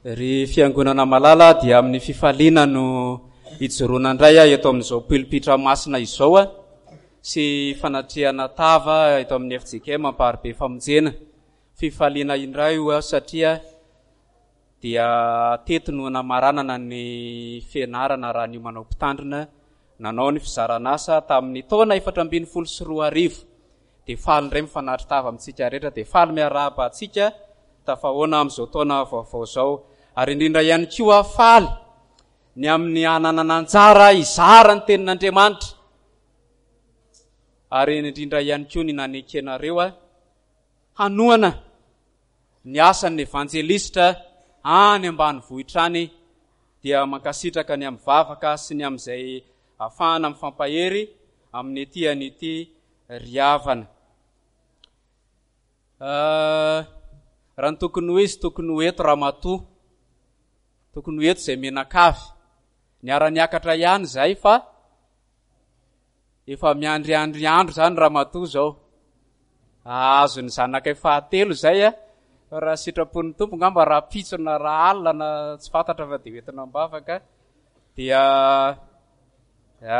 Ry Fiangonana malala dia amin'ny fifaliana no ijoroana indray aho eto amin'izao pilipitra masina izao sy fanatrehana tava eto amin'ny FJKM Amparibe Famonjena. Fifaliana indray io aho satria dia teto no namaranana ny fianarana raha ny manao mpitandrina nanao ny fizaran'asa tamin'ny taona 2014. Dia faly indray mifanatri-tava amintsika rehetra, dia faly miarahaba antsika tafahoana amin'izao taona vaovao izao. Ary indrindra ihany koa faly ny amin'ny hananana anjara hizara ny tenin'Andriamanitra. Ary indrindra ihany koa ny nanekenareo hanohana ny asan'ny evanjelistra any ambanivohitra any dia mankasitraka ny amin'ny vavaka sy ny amin'izay ahafahana mifampahery amin'ny ety an'ity ry havana. Ah, raha ny tokony ho izy, tokony ho eto ramatoa. Tokony ho eto izay menakavy. Niara-niakatra ihany izay fa efa miandriandry andro izany ramatoa izao. Ahazo ny zanakay fahatelo izay a. Fa raha sitrapon'ny Tompo ngamba rahampitso na raha alina na tsy fantatra fa dia hoentina am-bavaka. Dia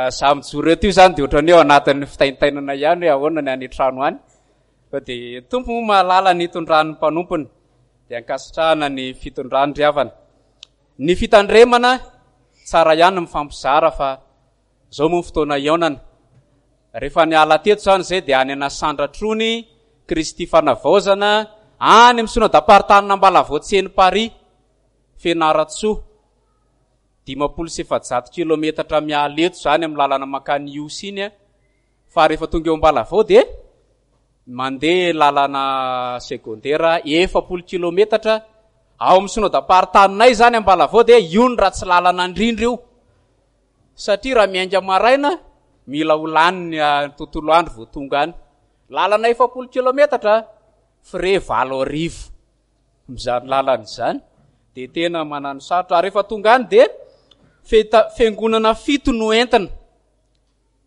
Za mijoro eto io zany dia ohatran'ny hoe ao anatin'ny fitaintainana ihany hoe ahoana ny any an-trano any. Fa dia Tompo moa mahalala ny hitondran'ny mpanompony. Dia ankasitrahana ny fitondrany ry havana. Ny fitandremana tsara ihany mifampizara fa zao moa ny fotoana hihaonana. Rehefa niala teto zany zay dia any Anasandratrony, Kristy Fanavaozana, any amin'ny synodam-paritanin'Ambalavoatseny Paris, Fianarantsoa. 450 kilometatra miala eto izany amin'ny lalana mankany Ihosy iny fa rehefa tonga eo Ambalavao dia mandeha lalana secondaire 40 kilometatra ao amin'ny synodam-paritaninay izany Ambalavao dia io ny ratsy lalana indrindra io satria raha miainga maraina mila ho lany ny ah, tontolo andro vao tonga any lalana 40 kilometatra frais 8000 Amin'izany lalana izany dia tena manano sarotra. Ary rehefa tonga any dia feta, fiangonana fito no entina.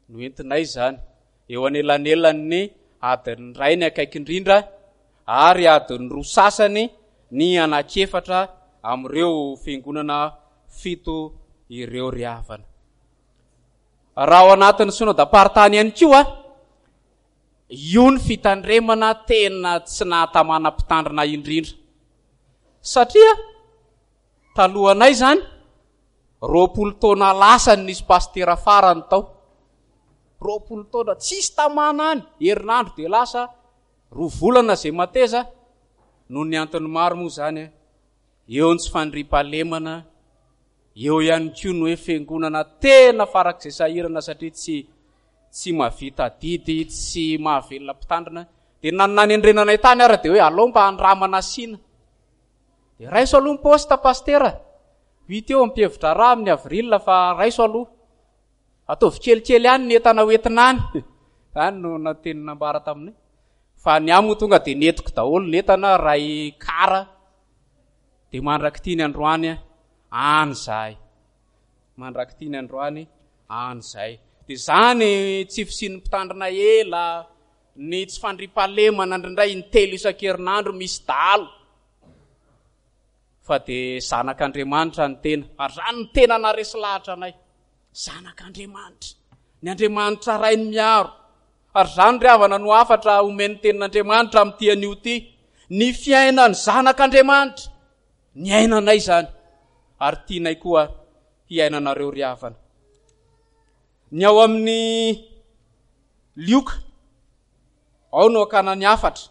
No entinay izany. Eo anelanelan'ny adiny iray ny akaiky indrindra ary adiny roa sasany ny anankiefatra amin'ireo fiangonana fito ireo ry havana. Raha ao anatin'ny synodam-paritany ihany koa, Io ny fitandremana tena tsy nahatamana mpitandrina indrindra. Satria talohanay izany, 20 taona lasa no nisy pasitera farany tao. 20 taona, tsisy tamana any, herinandro dia lasa, roa volana izay mateza, noho ny antony maro moa izany, eo ny tsy fandriampahalemana, eo ihany koa ny hoe fiangonana tena farak'izay sahirana satria tsy tsy mahavita adidy, tsy mahavelona mpitandrina. Dia na ny nanendrena anay tany ara dia hoe alao mba andramana asiana. Dia raiso aloha ny poste pastera. Ho hita eo am-pihevi-draharaha amin'ny avril fa raiso aloha. Ataovy kelikely any ny entana ho entina any. Izany no teny nambara taminay. Fa ny ahy moa tonga dia nentiko daholo ny entana, ray kara. Dia mandrak'ity ny androany any izahay. Mandrak'ity ny androany any izay. Dia izany tsy fisian'ny mpitandrina ela, ny tsy fandriampahalemana indraindray intelo isan-kerinandro misy dahalo. Fa dia zanak'Andriamanitra ny tena. Ary izany no tena naharesy lahatra anay. Zanak'Andriamanitra. Ny Andriamanitra Rainy miaro. Ary izany ry havana no hafatra omen'ny tenin'Andriamanitra amin'ity anio ity. Ny fiainan'ny zanak'Andriamanitra. Niainanay izany. Ary tianay koa hiainanareo ry havana. Ny ao amin'ny Lioka, ao no akana ny hafatra.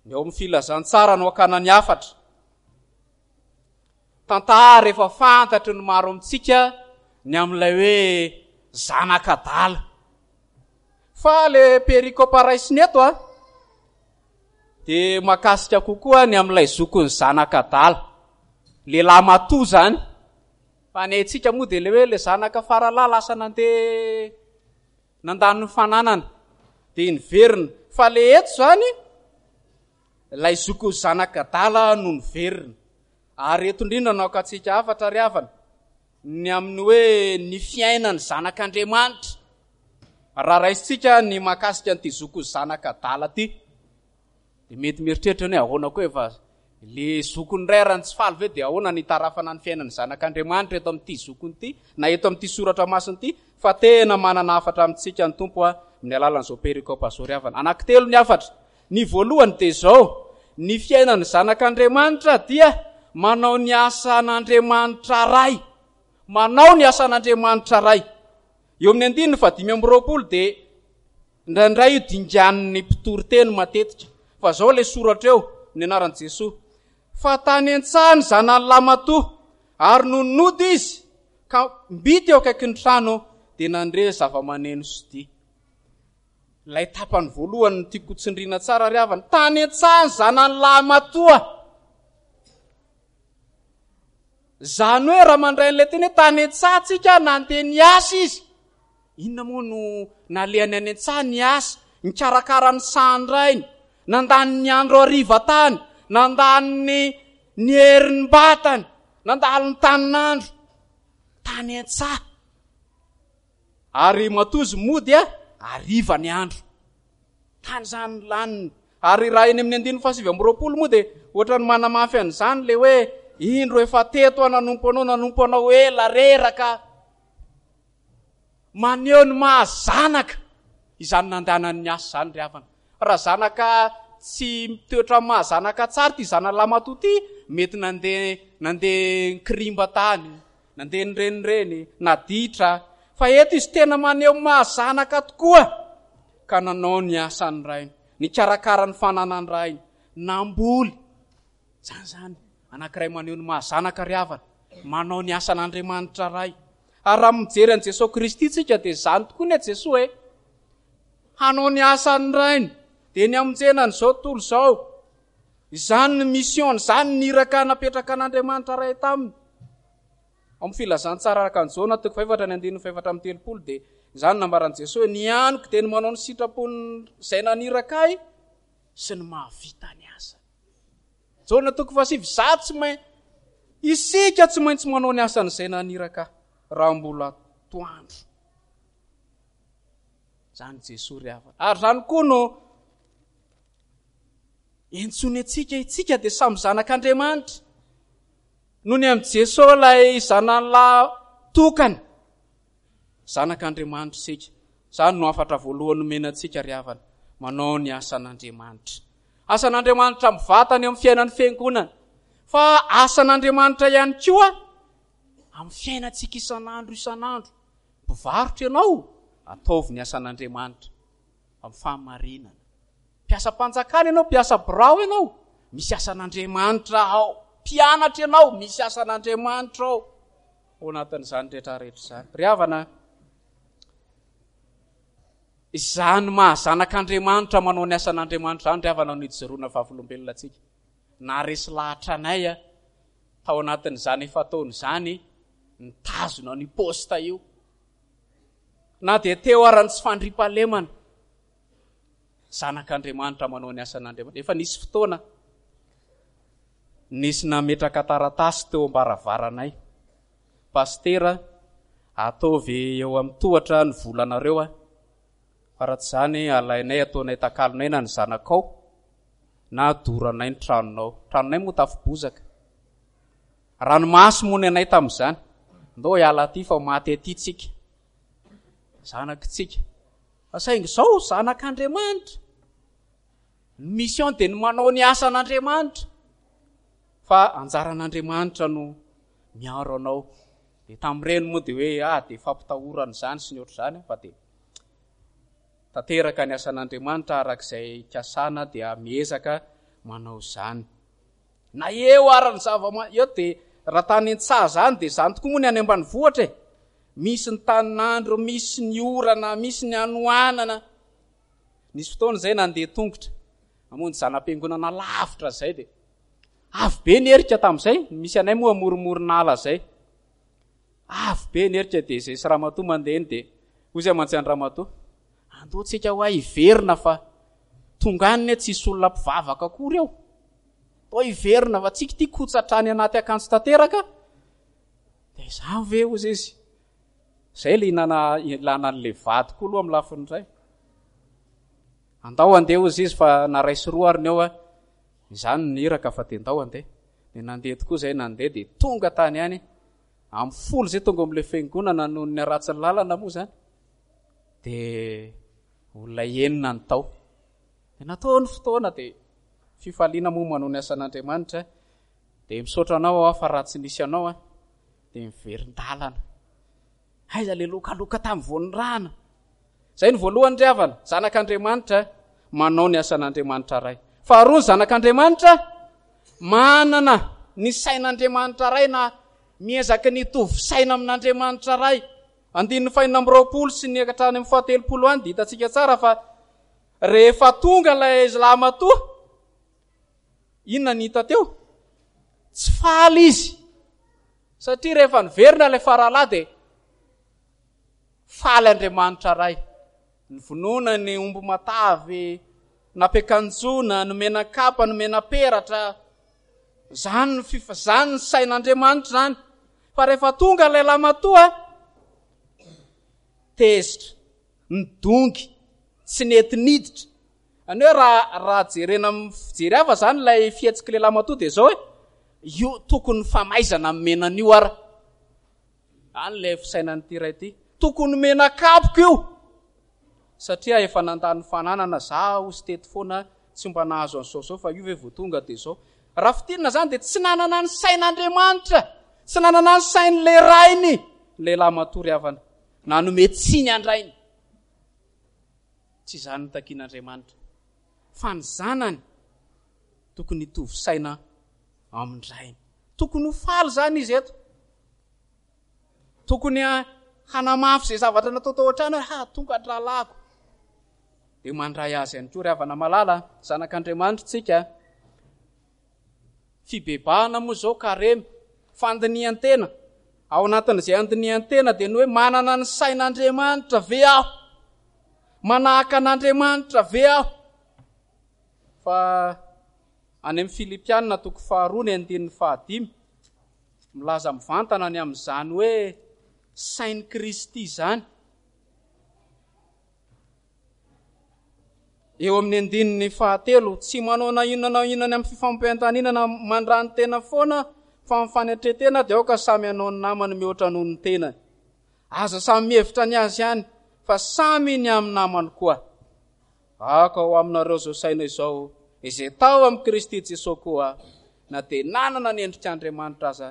Ny ao amin'ny filazantsara no akana ny hafatra. Tantara efa fantatry ny maro amintsika ny amin'ilay hoe zanak'adala. Fa le perikopa raisina eto a, dia mahakasika kokoa ny amin'ilay zokin'ny zanak'adala. Lehilahy matoa izany. Fa ny haintsika moa dia ilay hoe ilay zanaka faralahy lasa nandeha nandany ny fananana dia niverina. Fa ilay eto izany, ilay zokin'ny zanak'adala no niverina. Ary eto indrindra no hakantsika hafatra ry havana, ny amin'ny hoe ny fiainan'ny zanak'Andriamanitra. Raha raisintsika ny mahakasika an'ity zokin'ny zanak'adala ity, dia mety mieritreritra ny hoe ahoana koa efa. Le zokiny indray ary ny tsy faly ve dia ahoana ny hitarafana ny fiainan'ny zanak'Andriamanitra eto amin'ity zokiny ity na eto amin'ity soratra masina ity fa tena manana hafatra amintsika ny Tompo amin'ny alalan'izao perikopa izao ry havana. Anankitelo ny hafatra. Ny voalohany dia izao, ny fiainan'ny zanak'Andriamanitra dia manao ny asan'Andriamanitra Ray. Manao ny asan'Andriamanitra Ray. Eo amin'ny andininy fahadimy amby 20 dia indraindray io dinganin'ny mpitory teny matetika. Fa izao ilay soratra eo, ny anaran'i Jesoa. Fa tany an-tsaha ny zanany lamatoa, ary nony nody izy, ka mby teo akaikin'ny trano, dia nandre zava-maneno sy dihy. Ilay tapany voalohany no tiako hotsindriana tsara ry havana. Tany an-tsaha ny zanany lahy matoa. Izany hoe raha mandray an'ilay teny hoe tany an-tsaha tsika, nandeha niasa izy. Inona moa no nalehany any an-tsaha? Niasa, nikarakara ny sahan-drainy, nandany ny andro hariva tany, nandany ny ny herim-batany, nandalo ny tanin'andro tany an-tsaha. Ary matoa izy mody a, hariva ny andro. Tany izany ny laniny. Ary raha eny amin'ny andininy fahasivy amby 20 moa dia ohatran'ny manamafy an'izany ilay hoe indro efa teto aho nanompo anao, nanompo anao ela, reraka. Maneho ny maha zanaka izany nandehanany niasa izany ry havana. Raha zanaka tsy mitoetra amin'ny maha zanaka tsara ity zanany lamatoa ity, mety nandeha nandeha nikirimba tany, nandeha nirenireny, naditra. Fa eto izy tena maneho ny maha zanaka tokoa ka nanao ny asan'ny rainy, nikarakara ny fananan'ny rainy, namboly. Izany izany, anankiray maneho ny maha zanaka ry havana, manao ny asan'Andriamanitra Ray. Ary raha mijery an'i Jesoa Kristy tsika dia izany tokoa ny Jesoa e. Hanao ny asan'ny Rainy, dia ny hamonjena an'izao tontolo izao. Izany ny mission, izany ny iraka napetraka an'Andriamanitra Ray taminy. Ao amin'ny filazantsara araka an'i Jaona toko fahefatra ny andininy fahefatra amby 30 dia izany nambaran'i Jesoa hoe ny haniko dia ny manao ny sitrapon'izay naniraka ahy sy ny mahavita ny asany. Jaona toko fahasivy, izaho tsy main isika tsy maintsy manao ny asan'izay naniraka ahy raha mbola atoandro. Izany Jesoa ry havana. Ary izany koa no Entsoiny antsika, itsika dia samy zanak'Andriamanitra. Noho ny amin'i Jesoa ilay zanany lahy tokana. Zanak'Andriamanitra isika. Izany no hafatra voalohany nomena antsika ry havana. Manao ny asan'Andriamanitra. Asan'Andriamanitra mivantana eo amin'ny fiainan'ny fiangonana. Fa asan'Andriamanitra ihany koa amin'ny fiainantsika isan'andro isan'andro. Mpivarotra ianao, ataovy ny asan'Andriamanitra amin'ny fahamarinana. Mpiasam-panjakana ianao, mpiasa birao ianao, misy asan'Andriamanitra ao. Mpianatra ianao, misy asan'Andriamanitra ao. Ao anatin'izany rehetra rehetra izany. Ry havana, izany maha zanak'Andriamanitra manao ny asan'Andriamanitra izany ry havana no ijoroana vavolombelona antsika. Naharesy lahatra anay tao anatin'izany efa taona izany nitazona an'io poste io. Na dia teo ara ny tsy fandriampahalemana. Zanak'Andriamanitra manao ny asan'Andriamanitra. Efa nisy fotoana nisy nametraka taratasy teo am-baravaranay. Pasitera, ataovy eo amin'ny tohatra ny volanareo a. Fa raha tsy izany alainay ataonay takalonay na ny zanakao na doranay ny tranonao. Tranonay moa tafo bozaka. Ranomaso moa ny anay tamin'izany. Ndao hiala aty fa maty aty tsika. Zanakitsika. Fa saingy izao zanak'Andriamanitra. Ny mission dia ny manao ny asan'Andriamanitra. Fa anjaran'Andriamanitra no miaro anao. Dia tamin'ireny moa dia hoe ah dia fampitahorana izany sy ny ohatr'izany fa dia tanteraka ny asan'Andriamanitra araka izay ikasana dia miezaka manao izany. Na eo ara ny zava eo dia raha tany an-tsaha izany dia izany tokoa moa ny any ambanivohitra e. Misy ny tanin'andro, misy ny orana, misy ny hanoanana. Nisy fotoana izay nandeha tongotra namonjy zana-piangonana lavitra izay dia avy be ny erika tamin'izay, misy anay moa amoromoron'ala izay. Avy be ny erika dia izay sy ramatoa mandeha eny dia hoy izay mantsy an'i ramatoa, andao tsika hoa hiverina fa tonga any tsisy olona mpivavaka akory eo. Toa hiverina fa tsika ity kotsa hatrany anaty akanjo tanteraka. Dia izaho ve hozy izy. Izay ilay ilana ilana an'ilay vady koa aloha amin'ny lafiny iray. Andao andeha hozy izy fa na ray sy roa ary ny eo a. Izany ny iraka fa dia ndao handeha. Dia nandeha tokoa izay nandeha dia tonga tany ihany. Amin'ny folo izay tonga ao amin'ilay fiangonana noho ny haratsin'ny lalana moa izany. Dia olona enina ny tao. Dia natao ny fotoana dia fifaliana moa manao ny asan'Andriamanitra. Dia misaotra anao aho fa raha tsy nisy anao aho dia miverin-dalana. Aiza le lokaloka tamin'ny vao nirahana? Izay no voalohany ry havana, zanak'Andriamanitra manao ny asan'Andriamanitra Ray. Faharoa ny zanak'Andriamanitra manana ny sain'Andriamanitra Ray na miezaka ny hitovy saina amin'Andriamanitra Ray. Andininy fahenina amby roapolo sy ny hatrany amin'ny fahatelopolo any dia hitantsika tsara fa rehefa tonga ilay lahimatoa, inona ny hita teo? Tsy faly izy. Satria rehefa niverina ilay faralahy dia faly Andriamanitra Ray. Novonoina ny omby matavy, nampiakanjoana, nomena kapa, nomena peratra. Izany ny fifa, izany ny sain'Andriamanitra izany. Fa rehefa tonga ilay lamatoa, tezitra, nidongy, tsy nety niditra. Any hoe raha raha jerena amin'ny fijery hafa izany ilay fihetsik'ilay lamatoa dia izao hoe, io tokony famaizana nomena an'io ara. Any ilay fisainan'ity ray ity. Tokony nomena kapoka io. Satria efa nandany fananana zaho sy teto foana tsy mba nahazo an'izao izao fa io ve vao tonga dia izao. Raha fintinina izany dia tsy nanana ny sain'Andriamanitra, tsy nanana ny sain'ilay rainy ilay lamatoa ry havana. Nanome tsiny an-drainy. Tsy izany no takian'Andriamanitra. Fa ny zanany tokony hitovy saina amin-drainy. Tokony ho faly izany izy eto. Tokony hanamafy izay zavatra natao tao an-trano hoe ha tonga ny rahalahiko. Dia mandray azy ihany koa ry havana malala, zanak'Andriamanitra tsika. Fibebahana moa izao karemy, fandinihan-tena. Ao anatin'izay andinihan-tena dia ny hoe manana ny sain'Andriamanitra ve aho? Manahaka an'Andriamanitra ve aho? Fa any amin'ny Filipiana toko faharoa ny andininy fahadimy, milaza mivantana ny amin'izany hoe sain'i Kristy izany. Eo amin'ny andininy fahatelo, tsy manao na inona na inona ny amin'ny fifampiantaninana mandrany-tena foana, fa amin'ny fanetren-tena dia aoka samy hanao ny namany mihoatra noho ny tenany. Aza samy mihevitra ny azy ihany, fa samy ny amin'ny namany koa. Aoka ho aminareo izao saina izao, izay tao amin'i Kristy Jesoa koa, na dia nanana ny endrik'Andriamanitra aza,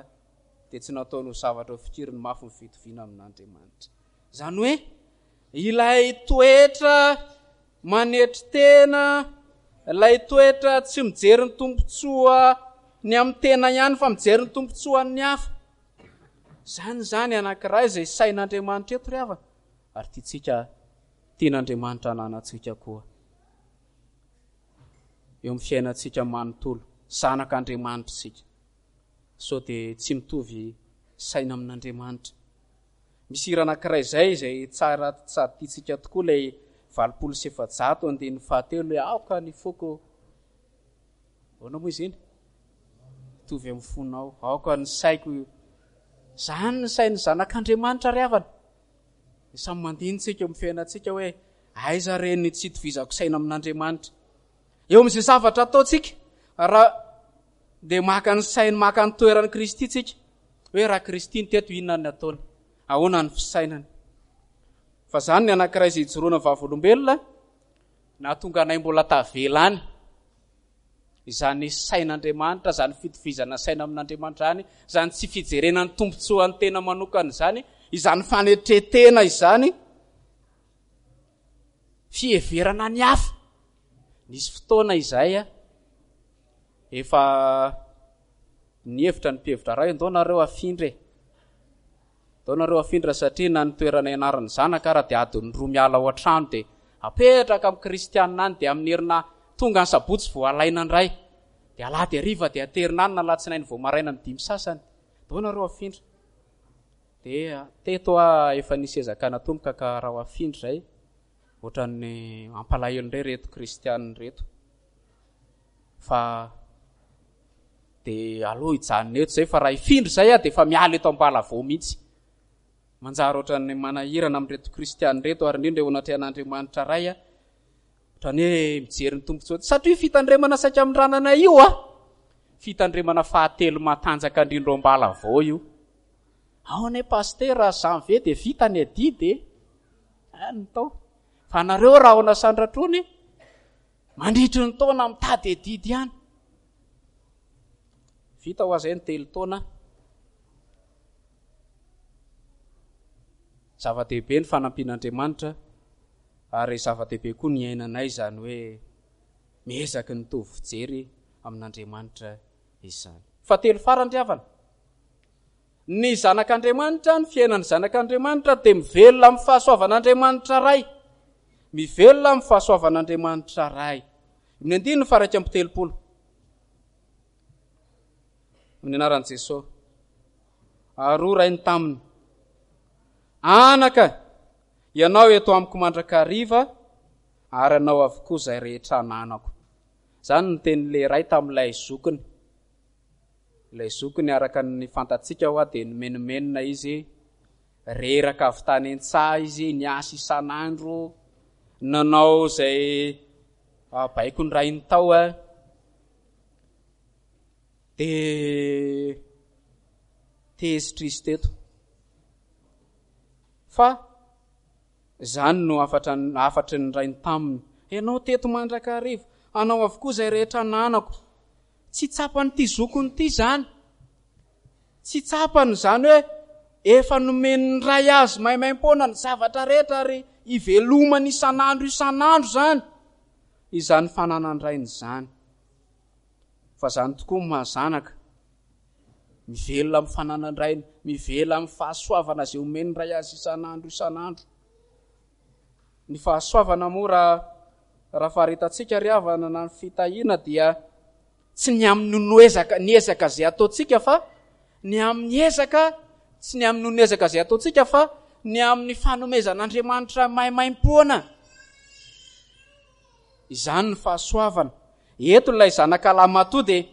dia tsy nataony ho zavatra ho fikiriny mafy ny fitoviana amin'Andriamanitra. Izany hoe, Ilay toetra manetry tena, ilay toetra tsy mijery ny tombontsoa ny amin'ny tena ihany fa mijery ny tombontsoan'ny hafa. Izany izany anankiray izay sain'Andriamanitra eto ry havana, ary tiantsika, tian'Andriamanitra hananantsika koa. Eo amin'ny fiainantsika manontolo, zanak'Andriamanitra isika. Sao dia tsy mitovy saina amin'Andriamanitra. Misy hira anankiray izay, izay tsara sady tiantsika tokoa, ilay 480 andininy fahatelo hoe aoka ny foko. Ahoana moa izy iny? Mitovy amin'ny fonao. Aoka ny saiko. Izany ny sain'ny zanak'Andriamanitra ry havana. Dia samy mandinintsika eo amin'ny fiainantsika hoe aiza re ny tsy itovizako saina amin'Andriamanitra. Eo amin'izay zavatra ataontsika, raha dia maka ny sainy, maka ny toeran'i Kristy tsika. Hoe raha Kristy ny teto, inona ny ataony? Ahoana ny fisainany? Fa izany ny anankiray izay ijoroana vavolombelona, nahatonga anay mbola tavela any. Izany sain'Andriamanitra, izany fitovizana saina amin'Andriamanitra izany, izany tsy fijerena ny tombontsoan'ny tena manokana izany, izany fanetren-tena izany, fiheverana ny hafa. Nisy fotoana izay efa nihevitra ny mpihevitra ray, ndao nareo afindra e. Ndao nareo afindra satria na ny toerana ianaran'ny zanaka ara dia adiny roa miala ao an-trano dia apetraka amin'ny kristianina any dia amin'ny herina tonga ny sabotsy vao alaina indray. Dia alahady hariva dia aterina any na alatsinainy vao maraina amin'ny dimy sasany. Ndao nareo afindra. Dia teto aho efa nisy ezaka natomboka ka raha ho afindra izay ohatran'ny mampalahelo indray ireto kristianina ireto. Fa dia aleo hijanona eto izay fa raha hifindra izay aho dia efa miala eto Ambalavao mihitsy. Manjary ohatran'ny manahirana amin'ireto kristianina ireto ary indrindra eo anatrehan'Andriamanitra Ray. Ohatran'ny hoe mijery ny tombontsoa. Satria io fitandremana saika amindranana io a, fitandremana fahatelo matanjaka indrindra ao Ambalavao io. Ao anie pasitera, janvier dia vita ny adidy e. Any ny tao. Fa nareo rahona sandratrony, mandritry ny taona mitady adidy ihany. Vita ho azy ny telo taona. Zava-dehibe ny fanampian'Andriamanitra ary zava-dehibe koa ny iainanay izany hoe miezaky ny mitovy fijery amin'Andriamanitra izany. Fahatelo farany ry havana, ny zanak'Andriamanitra, ny fiainan'ny zanak'Andriamanitra dia mivelona amin'ny fahasoavan'Andriamanitra Ray. Mivelona amin'ny fahasoavan'Andriamanitra Ray. Ny andininy faha 31. Amin'ny anaran'i Jesosy. Ary hoy rainy taminy, Anaka, ianao eto amiko mandrakariva, ary anao avokoa izay rehetra ananako. Izany no tenin'ilay ray tamin'ilay zokiny. Ilay zokiny araka ny fantatsika hoa dia nimenomenona izy, reraka avy tany an-tsaha izy, niasa isan'andro, nanao izay baikon'ny rainy tao. Dia tezitra izy teto. Fa izany no hafatra hafatry ny rainy taminy. Ianao teto mandrakariva, anao avokoa izay rehetra ananako. Tsy tsapan'ity zokiny ity izany. Tsy tsapany izany hoe efa nomen'ny ray azy maimaimpoana ny zavatra rehetra ary ivelomany isan'andro isan'andro izany, izany fananan-drainy izany. Fa izany tokoa ny maha zanaka. Mivelona amin'ny fananan-drainy, mivelona amin'ny fahasoavana izay omen'ny ray azy isan'andro isan'andro. Ny fahasoavana moa raha raha faharetantsika ry havana na ny fitahiana dia tsy ny amin'ny noezaka ny ezaka izay ataontsika fa ny amin'ny ezaka tsy ny amin'ny noho ezaka izay ataontsika fa ny amin'ny fanomezan'Andriamanitra maimaimpoana. Izany ny fahasoavana. Eto ilay zanaka lahimatoa dia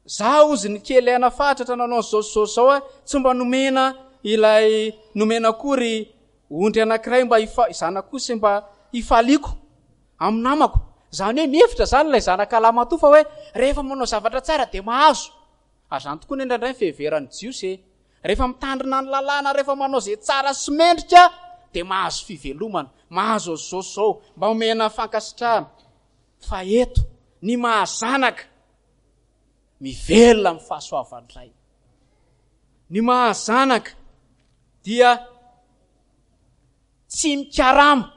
za ozy ny kely aina fatratra nanao an'izao sy izao sy izao aho, tsy mba nomena ilay nomena akory ondry anankiray mba hifa-, zanak'osy mba hifaliako amin'ny namako. Izany hoe mihevitra izany ilay zanaka lahimatoa fa hoe rehefa manao zavatra tsara dia mahazo. Ary izany tokoa indraindray ny fiheveran'ny Jiosy e. Rehefa mitandrina ny lalàna, rehefa manao izay tsara sy mendrika, dia mahazo fivelomana, mahazo an'izao sy izao, mba omena fankasitrahana. Fa eto, ny maha-zanaka, mivelona amin'ny fahasoavan'ny Ray. Ny maha-zanaka dia tsy mikarama,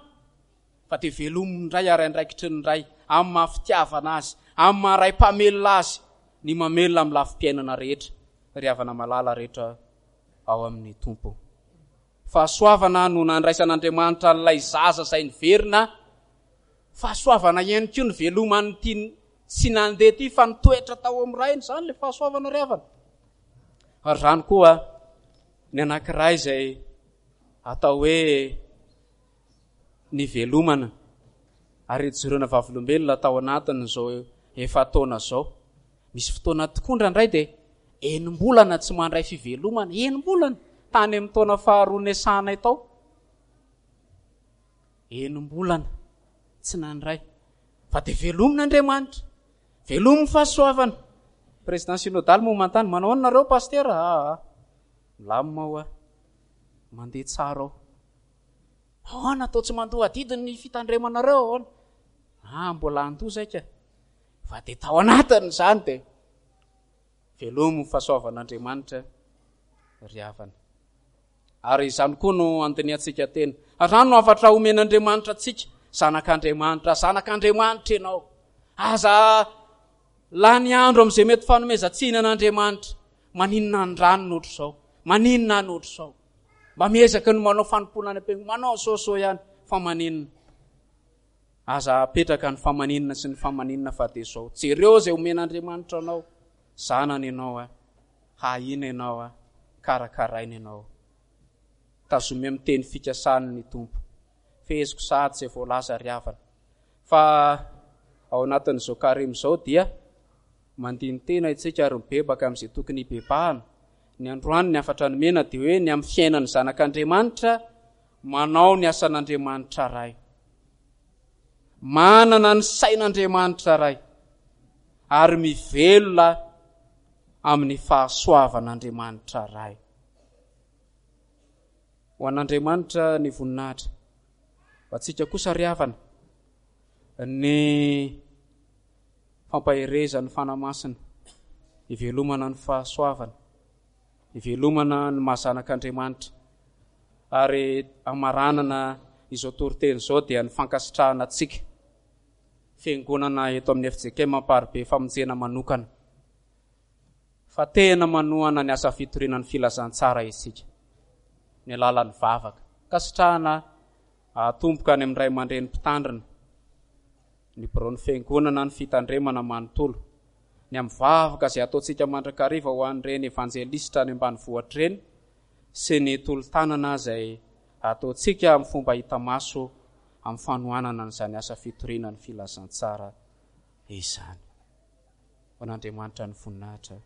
fa dia velomin'ny Ray ary andraikitry ny Ray, amin'ny maha-fitiavana Azy, amin'ny maha-Ray mpamelona Azy, ny mamelona amin'ny lafim-piainana rehetra, ry havana malala rehetra ao amin'ny Tompo. Fahasoavana no nandraisan'Andriamanitra an'ilay zaza izay niverina, fahasoavana ihany koa ny veloman'ity tsy nandeha ity fa nitoetra tao amin'ny Rainy, izany ilay fahasoavana ry havana. Ary izany koa ny anankiray izay atao hoe nivelomana ary nijoroana vavolombelona tao anatin'izao efa-taona izao. Misy fotoana tokoa indraindray dia enim-bolana tsy mandray fivelomana, enim-bolana, tany amin'ny taona faharoa niasanay tao. Enim-bolana tsy nandray. Fa dia velomina Andriamanitra. Velomy ny fahasoavana. Président synodal moa manontany, manao ahoana nareo pasitera? Aa, milamina ao aho. Mandeha tsara ao. Ahoana atao tsy mandoa adidy ny fitandremanareo ahoana? Ah, mbola handoa zaika. Fa dia tao anatiny izany dia velomy ny fahasoavan'Andriamanitra ry havana. Ary izany koa no andinihantsika tena. Ary izany no hafatra omen'Andriamanitra antsika, zanak'Andriamanitra, zanak'Andriamanitra ianao. Aza lany andro amin'izay mety fanomezan-tsiny an'Andriamanitra. Maninona ny rano no ohatr'izao? Maninona ny ohatr'izao? Mba miezaka ny manao fanompoana any am-piangonana, manao soasoa ihany, fa maninona? Aza apetraka ny famaninona sy ny famaninona fa dia izao. Jereo izay omen'Andriamanitra anao. Zanany ianao a. Hahina ianao a. Karakaraina ianao. Tazomy amin'ny teny fikasany ny Tompo. Feheziko sahady izay voalaza ry havana. Fa ao anatin'izao karemy izao dia mandini-tena isika ary mibebaka amin'izay tokony hibebahana. Ny androany ny hafatra nomena dia hoe ny amin'ny fiainan'ny zanak'Andriamanitra manao ny asan'Andriamanitra Ray. Manana ny sain'Andriamanitra Ray ary mivelona amin'ny fahasoavan'Andriamanitra Ray. Ho an'Andriamanitra ny voninahitra. Ho antsika kosa ry havana ny fampaherezan'ny Fanahy Masina, ivelomana ny fahasoavana, ivelomana ny maha zanak'Andriamanitra. Ary hamaranana izao toriteny izao dia ny fankasitrahana antsika Fiangonana eto amin'ny FJKM Amparibe Famonjena manokana fa tena manohana ny asa fitoriana ny filazantsara isika ny alalan'ny vavaka. Ankasitrahana atomboka any amin'ny ray aman-dreny mpitandrina, ny biraon'ny fiangonana, ny fitandremana manontolo, ny amin'ny vavaka izay ataontsika mandrakariva ho an'ireny evanjelisitra any ambanivohitra ireny sy ny tolo-tanana izay ataontsika amin'ny fomba hita maso amin'ny fanohanana an'izany asa fitoriana ny filazantsara izany. Ho an'Andriamanitra ny voninahitra.